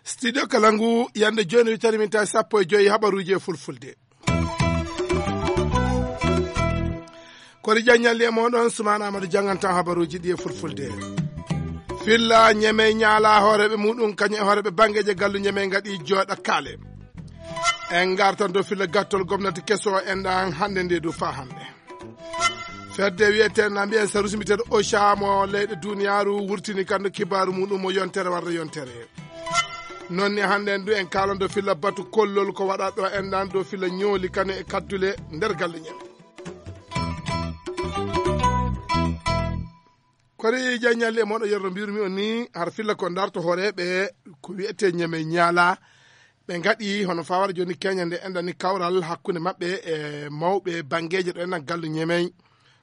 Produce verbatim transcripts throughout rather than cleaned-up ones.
Studio Kalangu, yande jooni witani min tawi sappo e joyi habaruuji e fulfulde. Kori jaññalli e moɗon, Sumaana Amadu janngantan habaruuji ɗi e fulfulde. Filla Ñeme ñaala hooreeɓe muɗum, kañum e hooreeɓe banngeeje gallu Ñeme ngaɗi jooɗa kaale. En ngartan dow filla gattol gomnati keso o enɗan hannde nde du faa hannde. Fedde wiyetee na mbiyen sarusi mbiteeɗo Ocha mo leyɗe duniyaaru wurtini kanndo kibaaru muɗum mo yontere warde yontere. Non ni hannde en du en kaalan dow filla batu kollol ko waɗa ɗo enɗan dow filla ñooli kane e kaddule nder galle Ñeme. Kori jaññalli e moɗo yerno mbirumi on ni har filla ko ndarto hooreeɓe ko wiyetee Ñeme ñaala. Ɓe ngaɗi hono fawara jooni keña nde enɗan ni kawral hakkunde maɓɓe e mawɓe banngeeje ɗo enɗan gallu Ñeme.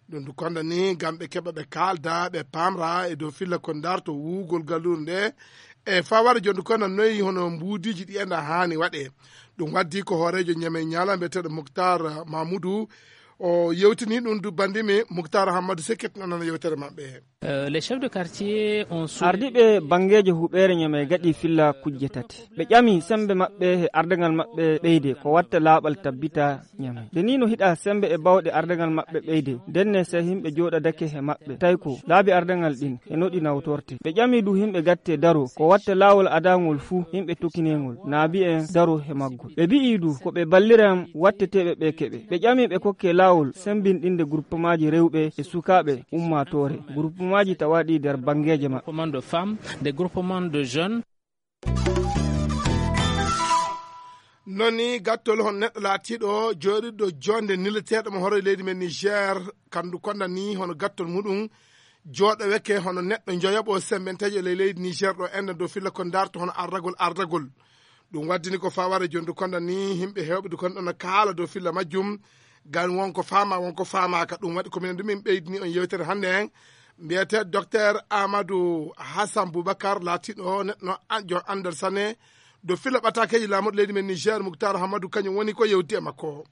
Ɗum du konda ni ngam ɓe keɓa ɓe kaalda, ɓe paamra e dow filla ko ndarto wuugol gallure nde. E fawara jooni du konda noyi hono mbuudiiji ɗi enɗan haani waɗe. Ɗum waddi ko hooreejo Ñeme ñaala mbiyeteeɗo Muktar Mamudu. O yewtini ɗum du bandimi Muktar Hammadu Sekket nanana yewtere maɓɓe. Euh, les chefs de quartier ont sou- Ardiiɓe banngeeje huɓeere Ñeme gaɗi filla kujje tati. Ɓe ƴami semmbe maɓɓe e ardagal maɓɓe ɓeyde ko watta laaɓal tabbita Ñame. Nde ni no hiɗa semmbe e bawɗe ardagal maɓɓe ɓeyde, ndenne se yimɓe jooɗadake he maɓɓe, tawi ko laabi ardagal ɗin e no ɗi nawtorte. Ɓe ƴami du yimɓe gatte daro ko watta laawol adangol fuu yimɓe tokkinengol, naabi en daro he maggol. Ɓe bi'i du ko ɓe balliran watteteeɓe ɓe keɓe. Ɓe ƴami ɓe kokke laawol semmbinɗinde groupemaaji rewɓe e sukaaɓe ummaatoore, groupemaaji tawaaɗi nder banngeeje maɓɓe. Groupement de femmes, des groupements de jeunes. Non ni gattol hono neɗɗo laatiiɗo jooɗiɗo joonde nileteeɗo mo hoore leydi men Niger, kandu konda ni hono gattol muɗum jooɗoweke hono neɗɗo njoyaɓo sembenteejo e ley leydi Niger ɗo enda dow filla ko ndarto hono ardagol ardagol. Ɗum waddini ko faware jondu konda ni yimɓe heewɓe du konda no kaala dow filla majjum. Gan wonko faama, wonko faamaaka. Ɗum waɗi ko minen du min ɓeydini on yewtere hannde en. Mbiyetee Docteur Amadou Hassan Boubacar laatiiɗo neɗɗo an-, jo anndal sane dow filla ɓataakeeji laamuɗo leydi men Niger, Muktar Hamadou, kañum woni ko yewti e makko.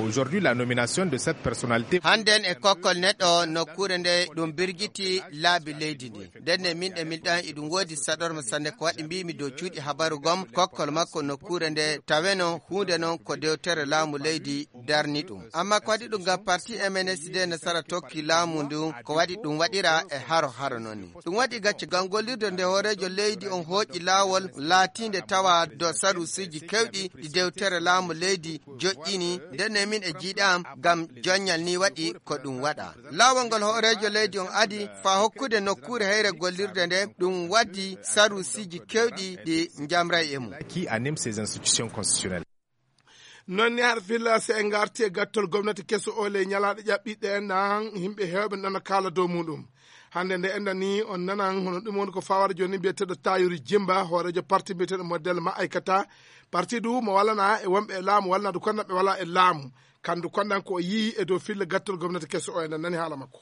Aujourd'hui, la nomination de cette personnalité. Hannden e kokkol neɗɗo nokkuure nde ɗum birgiti laabi leydi ndi. Ndenne min ɗe min ɗan iɗum woodi saɗorma sanne ko waɗi mbimi dow cuuɗi habaru gom kokkol makko nokkuure nde taweno huunde non ko dewtere laamu leydi darni ɗum. Amma ko waɗi ɗum ngam parti M N S D nasara tokki laamu ndu ko waɗi ɗum waɗira e haro haro non ni. Ɗum waɗi gacce ngam gollirde nde hooreejo leydi on hooƴi laawol laatiinde tawa dow saruusiji kewɗi ɗi dewtere laamu leydi joƴƴini, ndenne min e jiiɗam ngam joññal ni waɗi ko ɗum waɗa. Laawol ngol hooreejo leydi on adi faa hokkude nokkuure heyre gollirde nde ɗum waddi saruusiji kewɗi ɗi njamray e mum. Qui anime ces institutions constitutionnelles. Non ni har filla se en ngarti e gattol gomnati keso o ley ñalaaɗe ƴaɓɓiɗɗe en nan yimɓe heewɓe nana kaala dow muɗum. Hannde nde enɗan ni on nanan hono ɗum woni ko fawara jooni mbiyeteeɗo Tayori Jimba, hooreejo parti mbiyeteeɗo Model Ma'aykata. Parti du mo wallana e wonɓe e laamu, wallana du konda ɓe wala e laamu. Kandu kondan ko o yii e dow filla gattol gomnati keso o enɗan nani haala makko.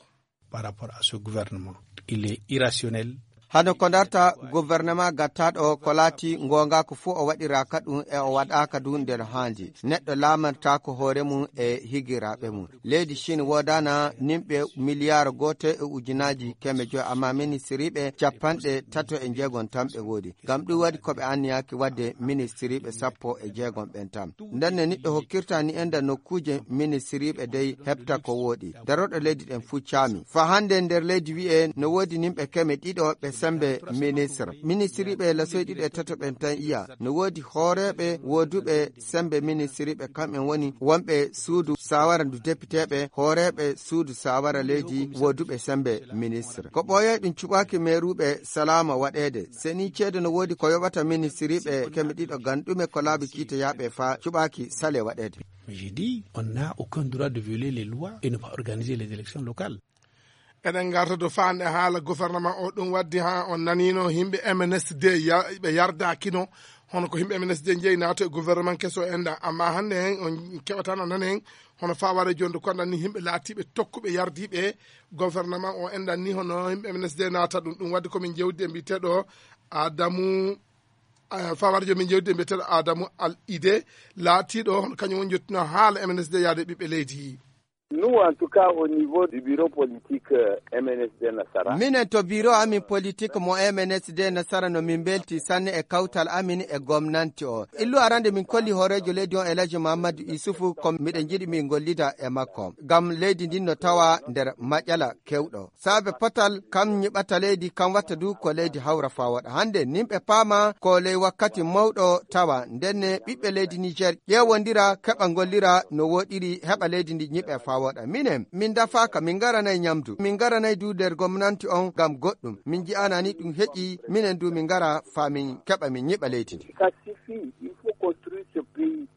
Par rapport à ce gouvernement, il est irrationnel. Hano ko darta gouvernement gattaɗo ko laati ngonga ko fof o waɗiraka ɗum e o waɗaka du nder haandi. Neɗɗo laamantaako hoore mum e higiraaɓe mum. Leydi Chine woodana nimɓe miliyar gooto e ujunaaji keme joy, amma ministiriiɓe capanɗe tato e jeegom tan ɓe woodi. Ngam ɗum waɗi ko ɓe anniyaki waɗde ministiriiɓe sappo e jeegom ɓen tan. Ndenne niɗɗo hokkirta ni enda nokkuuje ministiriiɓe dey heɓta ko wooɗi. Darooɗo leydi ɗen fuu caami. Fa hannde nder leydi wi'e no woodi nimɓe keme ɗiɗo ɓe sembe ministre. Ministiriiɓe lasoy ɗiɗo e tato ɓen tan iya. No woodi hooreeɓe wooduɓe sembe ministiriiɓe kamɓen woni wonɓe suudu saawara ndu depiteeɓe, hooreeɓe suudu saawara leydi wooduɓe sembe ministre. Ko ɓooyay ɗum cuɓaaki meeruuɓe salaama waɗeede. Seni ceede no woodi ko yoɓata ministiriiɓe keme ɗiɗo ngam ɗume ko laabi kiiteyaaɓe fa cuɓaaki sale waɗeede. Mais j'ai dit, on n'a aucun droit de violer les lois et ne pas organiser les élections locales. Eɗen ngarta dow faande haala gouvernement o, ɗum waddi haa on naniino yimɓe M N S D ya-, ɓe yardaakino, hono ko yimɓe M N S D njeyi naato e gouvernement keso en ɗan. Amma hannde hen on keɓatano nanen hono faware jonde konɗan ni yimɓe laatiiɓe tokkuɓe yardiiɓe gouvernement o enɗan ni hono yimɓe M N S D naata ɗum. Ɗum waddi komin jewdi e mbiyeteeɗo Adamu eh, fawarjo min jewdi e mbiyeteeɗo Adamu Al Ide, laatiiɗo hono kañum woni jottino haala M N S D yaade ɓiɓɓe leydi. Nous, en tout cas, au niveau du bureau politique, euh, M N S D Nasara. Minen to biro amin politique mo M N S D Nasara no min mbelti sanne e kawtal amin e gomnanti o. Illu arande min kolli hooreejo leydi on Elhaji Mahamadou Issoufou ko miɗen njiɗi min gollida e makko. Ngam leydi ndin no tawa nder maƴala kewɗo. Saabe potal kam ñiɓata leydi, kam watta du ko leydi hawra faa woɗa. Hannde nimɓe paama ko ley wakkati mawɗo tawa. Ndenne ɓiɓɓe leydi Niger ƴeewondira, keɓa ngollira no woɗiri, heɓa leydi ndi ñiɓe faa woɗa. Minen, min dafaaka, min ngaranay ñamdu. Min ngaranay du nder gomnanti on ngam goɗɗum. Min ji'anani ɗum heƴi, minen du min ngara faa min keɓa min ñiɓa leydi ndi. Ça suffit, il faut construire ce pays.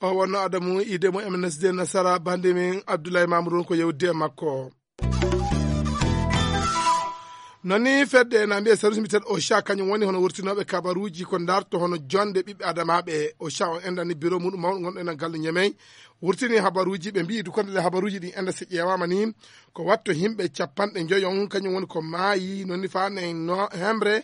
O wonno Adamu Ide mo M N S D Nasara, bande min Abdoulaye Mamoudou on ko yewde e makko. Nani fedde na mbiye service mbiyeteeɗo OSHA, kañum woni hono wurtinooɓe kabaruuji ko darto hono jonde ɓiɓɓe adamaaɓe. OSHA on endani biro muɗum mawɗo gonɗo ena galle Ñemey. Wurtini habaruuji, ɓe mbiyi du konde ɗe habaruuji ɗi enda si ƴeewaama ni, ko watto himɓe capanɗe njoyo on, kañum woni ko maayi, noni faa nen no hemre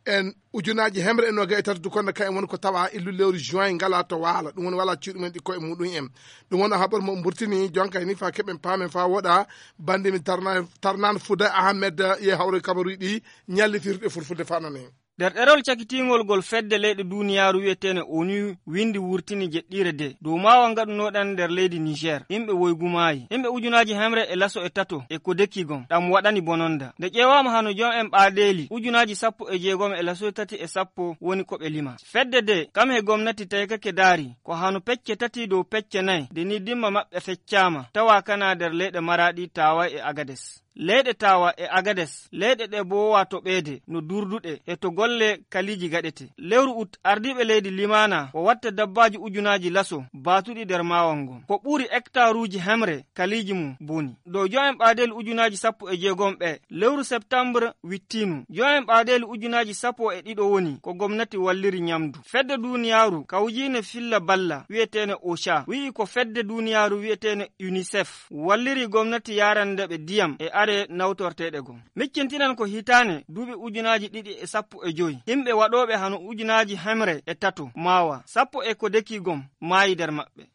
en ujunaaji hemre e noogay e tato du konde ka en woni ko tawa illu lewru juin ngala to waala. Ɗum woni wala cuuɗi men ɗi koye muɗum en. Ɗum woni habar mo mburtini jonka ni faa keɓen paamen faa woɗa. Bandi mi tarna-, tarnan Fuda Ahmed ye hawre kabaruuji ɗi ñalli firde fulfulde faa nane. Nder ɗerol cakitiingol ngol fedde leyɗe duuniyaaru wi'eteene ONU windi wurtini jeɗɗiire de dow maawa ngaɗunooɗan nder leydi Niger, yimɓe woygu maayi. Yimɓe ujunaaji hemre e laso e tato e ko deki gom, ɗam waɗani bononda. Nde ƴeewaama hano jom en ɓaadeeli, ujunaaji sappo e jeegom e laso e tati e sappo woni ko ɓe lima. Fedde de, kam he gomnati taykake daari, ko hano pecce tati dow pecce nay, de ni dimma maɓɓe feccaama, tawa kana nder leyɗe Maraɗi, Tawa e Agades. Leyɗe Tawa e Agades, leyɗe ɗe boowa toɓeede no durduɗe e to golle kaliiji gaɗete. Lewru ut, ardiiɓe leydi limaana ko watta dabbaaji ujunaaji laso baatuɗi nder maawal ngon. Ko ɓuri hektaruuji hemre kaliiji mum boni. Dow jo'en ɓaadeeli ujunaaji sappo e jeegom ɓe, lewru septembre wittiinu. Jo'en ɓaadeeli ujunaaji sappo e ɗiɗo woni ko gomnati walliri ñamdu. Fedde duuniyaaru kawjiine filla balla wi'eteene OSHA wi'i ko fedde duuniyaaru wi'eteene UNICEF walliri gomnati yaarande ɓe diyam e are nawtorteeɗe gom. Miccintinan ko hitaane duuɓi ujunaaji ɗiɗi e sappo e joy, yimɓe waɗooɓe hano ujunaaji hemre e tato maawa, sappo e ko deki gom maayi nder maɓɓe.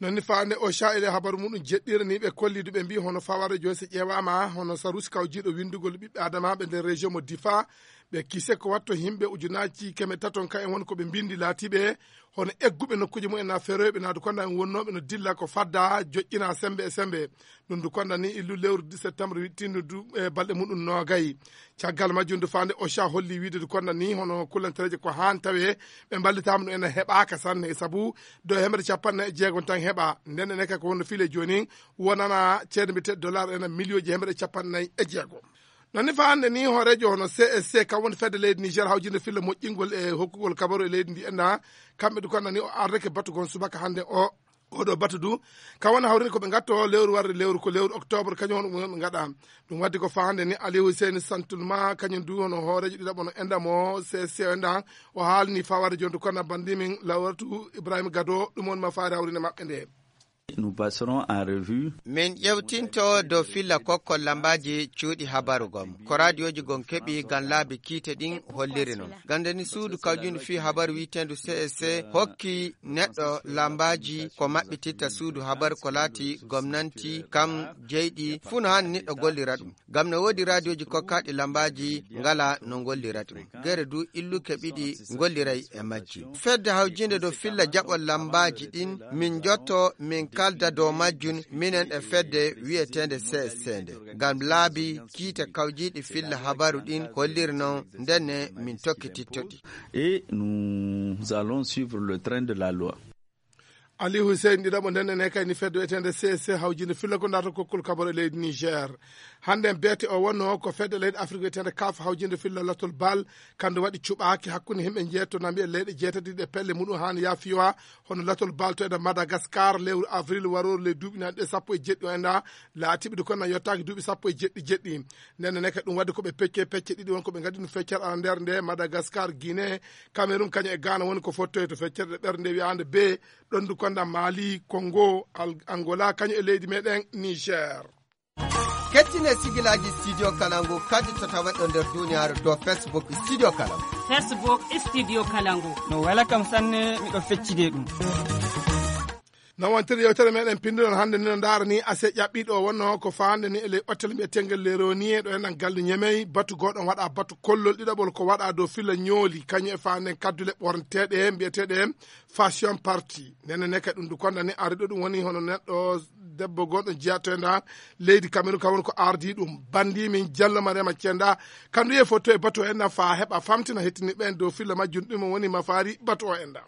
Nonni faande OSHA e habaru muɗum jeɗɗiraniiɓe kolliidu ɓe mbii hono faware joy so ƴeewaama hono sarusi kawjiiɗo winndugol ɓiɓɓe adamaaɓe nder région mo Difa, ɓe kise ko watto yimɓe ujunaaji keme taton ka en woni ko ɓe mbinndi laatiiɓe hono egguɓe nokkuuji mumen na feroyɓe naadu konda en wonnooɓe no dilla ko fadda joƴƴina sembe e sembe. Ɗum ndu konda ni illu lewru septembre wittindu du e balɗe muɗum noogay. Caggal majjum ndu faande OSHA holli wiide ndu konda ni hono kullantereeje ko haan tawe ɓe mballitaama ɗum ena heɓaaka sanne sabu dow hemre capanɗe nayi e jeegom tan heɓa. Nden ene kay ko wonno file jooni wonana ceede mbiyete dollar ena miliyooji hemre capanɗe nayi e jeegom. Nonni fa hannde ni hooreejo hono C S C kam woni fedde leydi Niger hawjinde filla moƴƴingol e hokkugol kabaru e leydi ndi ena kamɓe du konda ni o ardake batu gon subaka hannde o. Oɗo batu du, ka wona hawrini ko ɓe ngatto lewru warde lewru, ko lewru octobre, kañum hono ɗum ɓe ngaɗa. Ɗum waddi ko faande ni Ali Hussein Santulma, kañum du hono hooreejo ɗiɗaɓo no enda mo C S C o enda, o haalni fawade jonde kono bandi min lawratu Ibrahima Gado, ɗum woni ma faade hawrinde maɓɓe nde. Nous passerons en revue. Min ƴewtinto dow filla kokkol lambaaji cuuɗi habaru gom. Ko raadiyoji gon keɓi ngam laabi kiite ɗin holliri non. Gande ni suudu kawjundu fii habaru wi'eteendu C S C hokki neɗɗo lambaaji ko maɓɓititta suudu habaru ko laati gomnanti kam jeyɗi fuu no haani neɗɗo gollira ɗum. Ngam no woodi raadiyoji kokkaaɗi lambaaji ngala no ngollira ɗum. Gere du illuke ɓiɗi ngolliray e majji. Fedde hawjinde dow filla jaɓol lambaaji ɗin min jotto min kalda dow majjum minen e fedde wi'eteende C S C nde. Ngam laabi kiite kawjiiɗi filla habaru ɗin holliri non ndenne min tokkititto ɗi. Et nous allons suivre le train de la loi. Ali Hussein ɗiɗaɓo nden ene kay ni fedde wi'eteende C S C hawjinde filla ko ndato kokkol kabaro e leydi Niger. Hannde en beete o wonno ko fedde leydi Afrique wi'eteende kaf hawjinde filla latol bal kandu waɗi cuɓaaki hakkunde himɓe jeeto na mbiya leyɗe jeetati ɗe pelle muɗum haani yaafiwa hono latol bal to enda Madagascar lewru avril waroru ley duuɓi nan ɗe sappo e jeɗɗi o enda laatiɓe du kono yottaaki duuɓi sappo e jeɗɗi jeɗɗi. Nden ene kay ɗum wadde ko ɓe pecce pecce ɗiɗi won ko ɓe ngaddi ɗum feccere ala nder nde Madagascar, Guinée, Cameroun kañum e Ghana woni ko fottoye to feccere ɗe ɓernde wiyaande be ɗon du konda Mali, Congo, Al-, Angola, kañum e leydi meɗen Niger. Kettine sigilaaji Studio Kalangu kadi to taweɗo nder duniyaaru dow Facebook Studio Kalangu. Facebook Studio Kalangu. No wela kam sanne, miɗo feccide ɗum. No wontiri yewtere meɗen pinndunal hannde ni no ndaara ni ase ƴaɓɓiiɗo o wonno ko faande ni e ley otel mbiyeteengel Le Ronier ɗo enɗan galle Ñemey. Batu gooɗon waɗa batu kollol ɗiɗaɓol ko waɗa dow filla ñooli kañum e faanden kaddule ɓornteeɗe mbiyeteeɗe fashion party. Nene ne kadi ɗum du konda ni ariɗo ɗum woni hono neɗɗo debbo gooɗo jiyatenda leydi Kamerun kam woni ko ardi ɗum. Bandi min Jallo Mariama Cenda kandu ye foto e batu o enɗan fa heɓa famtina hettini ɓen dow filla majjum ɗum woni mafaari batu o enɗan.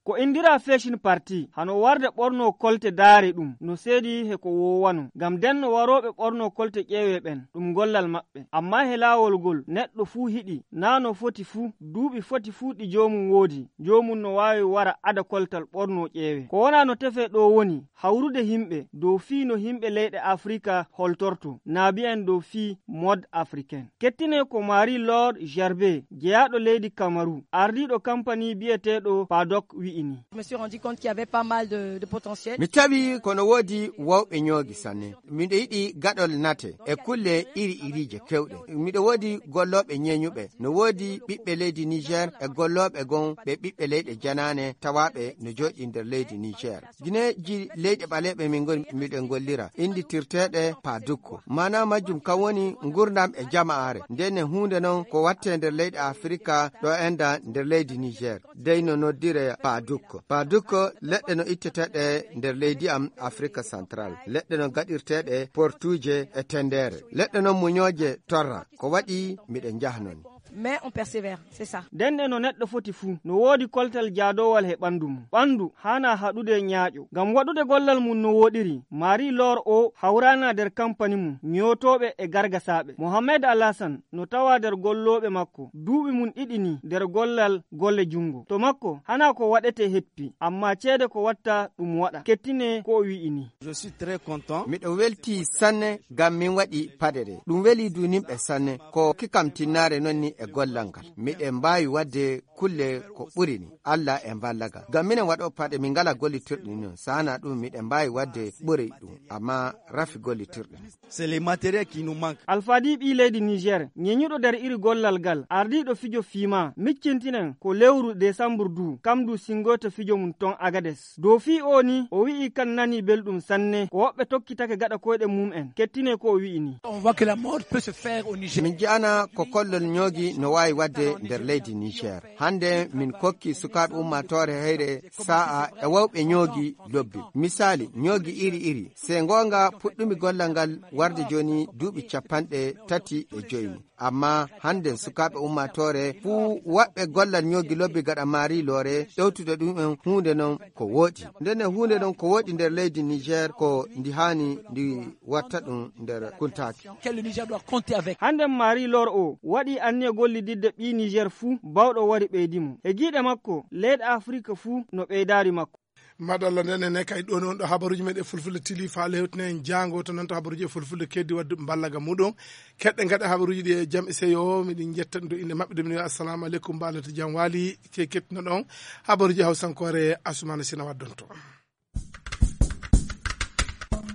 Ko indira Fashion Party, hano warde ɓorno kolte daare ɗum, no seedi he ko woowano. Ngam den no warooɓe ɓorno kolte ƴeewe ɓen, ɗum gollal maɓɓe. Amma he laawol ngol, neɗɗo fuu hiɗi, naa no foti fuu, duuɓi foti fuu ɗi joomum woodi, joomum no waawi wara ada koltal ɓorno ƴeewe. Ko wona no tefee ɗo woni, hawrude himɓe, dow fii no himɓe leyɗe Afrika holtorto, naa bi'en dow fii mode africaine. Kettine ko Marie Laure Gerbe, jeyaaɗo leydi Kamaru, ardiiɗo kampani bi'eteeɗo Padok wi'i ni. Je me suis rendu compte qu'il y avait pas mal de, de potentiel. Mi tawi kono woodi wawɓe ñoogi sanne. Miɗo yiɗi gaɗol nate e kulle iri irije kewɗe. Miɗo woodi gollooɓe ñeeñuɓe. No woodi ɓiɓɓe leydi Niger e gollooɓe gon ɓe ɓiɓɓe leyɗe janaane tawaaɓe no jooɗi nder leydi Niger. Gineeji leyɗe ɓaleeɓe min ngoni miɗen gollira, innditirteeɗe Padukko. Maanaa majjum kam woni ngurndan e jama'aare. Nden e huunde non ko wattee nder leyɗe Afirika ɗo enda nder leydi Niger. Dey no noddire Padukko. Padukko leɗɗe no itteteeɗe nder leydi am Afirika Central. Leɗɗe no gaɗirteeɗe portuuje e tendeere. Leɗɗe non muñooje torra. Ko waɗi miɗen njahnoni. Mais on persévère, c'est ça. Nden e no neɗɗo foti fuu, no woodi koltal jaadoowal he ɓanndu mum. Ɓanndu haanaa haɗude ñaaƴo. Ngam waɗude gollal mum no wooɗiri, Marie Laure o hawraanaa nder kampani mum, ñootooɓe e gargasaaɓe. Mohamed Alassane no tawaa nder gollooɓe makko, duuɓi mum ɗiɗi nii nder gollal golle junngo. To makko, hanaa ko waɗetee heppi, ammaa ceede ko watta ɗum waɗa. Kettine ko o wi'i nii. Je suis très content. Miɗo weltii sanne ngam min waɗi paɗe ɗe. Ɗum welii duuninɓe sanne. Ko kikkam tinnaare non ni e gollal ngal. Miɗen mbaawi waɗde kulle ko ɓuri ni. Allah e mballagal. Ngam minen waɗo paɗe min ngalaa gollitirɗe ni non. Saana ɗum miɗen mbaawi waɗde ɓuri ɗum. Amma rafi gollitirɗe. C'est les matériels qui nous manquent. Alfadi ɓii leydi Niger, ñeñuɗo nder iri gollal ngal, ardiiɗo fijo fiima, miccintinen ko lewru desambur du, kam du singoyto fijo mum ton Agades. Dow fii oo ni, o wi'i kan nanii belɗum sanne, ko woɓɓe tokkitake gaɗa koyɗe mum'en. Kettine ko o wi'i ni. On voit que la mode peut se faire au Niger. Min ji'ana ko kollol ñoogi no waawi waɗde nder leydi Niger. Hannde min kokki sukaaɓe ummaatoore heyre saa'a e wawɓe ñoogi lobbi. Misaali, ñoogi iri iri. Se ngoonga puɗɗumi gollal ngal warde jooni duuɓi capanɗe tati e joyi. Amma hannde sukaaɓe ummaatoore fuu waɗɓe gollal ñoogi lobbi gaɗa Marie Laure ɗowtude ɗum en huunde non ko wooɗi. Ndenne huunde non ko wooɗi nder leydi Niger ko ndi haani ndi watta ɗum nder kuntaaki. Quel le Niger doit compter avec. Hannde Marie Laure o waɗi anniya gollididde ɓii Niger fuu bawɗo wari ɓeydi mo. E giiɗe makko, leyɗe Afrika fuu no ɓeydaari makko. Madalla, nden ene kay ɗon on ɗo habaruuji meɗen fulfulde tili faale hewtine en jaango to nanta habaruuji e fulfulde keddi waddu mballaga muɗum. Keɗɗe ngaɗa habaruuji ɗi e jam e seyo, miɗen jetta ɗum to innde maɓɓe, de min wiya assalamu aleykum, mbaalata jam waali, ce kettino ɗon habaruuji hawsankoore Asumana Sina waddonto.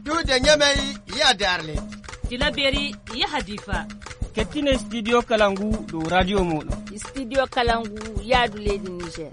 Duude Ñamey, yaade Arle. Tilaberi, yaha Difa. Kettine studio kala ngu dow radio mooɗon. Studio kala ngu yaadu leydi Niger.